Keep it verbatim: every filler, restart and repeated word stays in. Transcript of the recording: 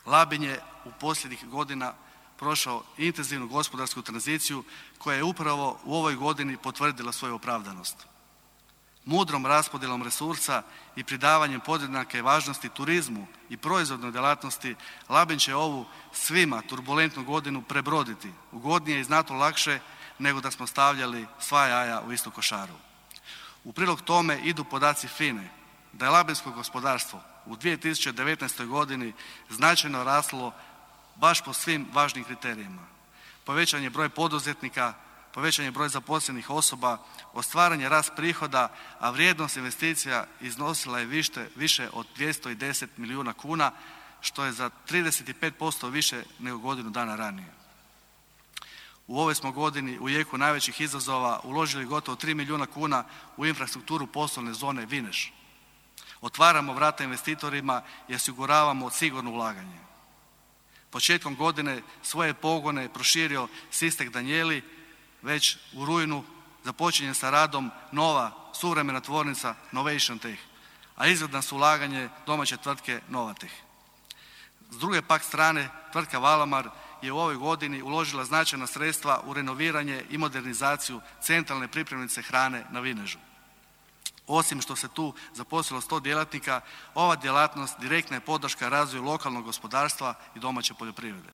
Labin je u posljednjih godina prošao intenzivnu gospodarsku tranziciju koja je upravo u ovoj godini potvrdila svoju opravdanost. Mudrom raspodjelom resursa i pridavanjem podjednake važnosti turizmu i proizvodnoj djelatnosti Labin će ovu svima turbulentnu godinu prebroditi ugodnije i znatno lakše nego da smo stavljali sva jaja u istu košaru. U prilog tome idu podaci F I N A-e da je labinsko gospodarstvo u dvije tisuće devetnaestoj godini značajno raslo baš po svim važnim kriterijima. Povećan je broj poduzetnika, povećan je broj zaposlenih osoba, ostvaren je rast prihoda, a vrijednost investicija iznosila je više, više od dvjesto deset milijuna kuna, što je za trideset pet posto više nego godinu dana ranije. U ovoj smo godini u jeku najvećih izazova uložili gotovo tri milijuna kuna u infrastrukturu poslovne zone Vineš. Otvaramo vrata investitorima i osiguravamo sigurno ulaganje. Početkom godine svoje pogone je proširio Sistek Danijeli, već u rujnu započinje sa radom nova suvremena tvornica Novation Tech, a izgledno su ulaganje domaće tvrtke Novatech. S druge pak strane, tvrtka Valamar je u ovoj godini uložila značajna sredstva u renoviranje i modernizaciju centralne pripremnice hrane na Vinežu. Osim što se tu zaposlilo sto djelatnika, ova djelatnost direktna je podrška razvoju lokalnog gospodarstva i domaće poljoprivrede.